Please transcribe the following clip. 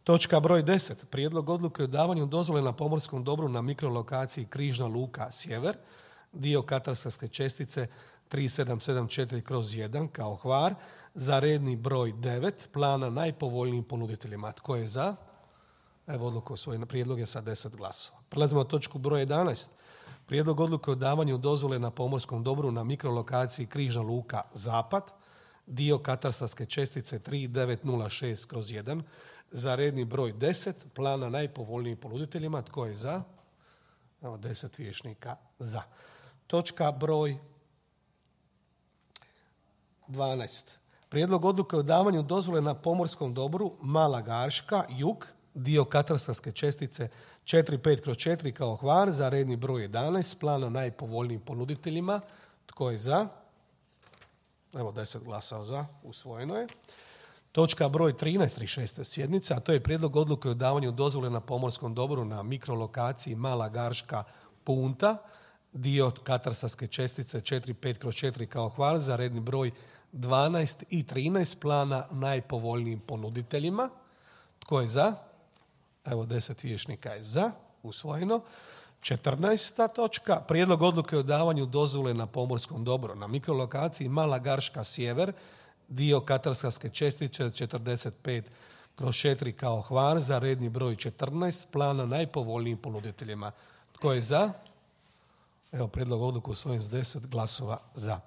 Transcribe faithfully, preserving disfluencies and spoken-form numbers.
Točka broj deset. Prijedlog odluke o davanju dozvole na pomorskom dobru na mikrolokaciji Križna luka Sjever, dio katastarske čestice tri sedam sedam četiri kroz jedan kao Hvar, za redni broj devet plana najpovoljnijim ponuditeljima. Tko je za? Evo odluku svoj prijedlog je sa deset glasova. Prelazimo na točku broj jedanaest. Prijedlog odluke o davanju dozvole na pomorskom dobru na mikrolokaciji Križna luka Zapad, dio katastarske čestice tri devet nula šest kroz jedan, za redni broj deset plana najpovoljnijim ponuditeljima. Tko je za? Evo deset vijećnika za. Točka broj dvanaest. Prijedlog odluke o davanju dozvole na pomorskom dobru Mala Garška, jug, dio katastarske čestice četiri pet kroz četiri kao Hvar, za redni broj jedanaest plana najpovoljnijim ponuditeljima. Tko je za? Evo deset glasova za, usvojeno je. Točka broj trinaest, trideset šeste sjednice, a to je prijedlog odluke o davanju dozvole na pomorskom dobru na mikrolokaciji Mala Garška Punta, dio katastarske čestice četiri pet kroz četiri kao Hvar, za redni broj dvanaest i trinaest plana najpovoljnijim ponuditeljima. Tko je za? Evo deset vijećnika je za, usvojeno. četrnaesta točka. Prijedlog odluke o davanju dozvole na pomorskom dobru na mikrolokaciji Mala Garška Sjever, dio katastarske čestice četrdeset pet kroz četiri kao Hvar, za redni broj četrnaest plana najpovoljnijim ponuditeljima. Tko je za? Evo prijedlog odluke usvojen s deset glasova za.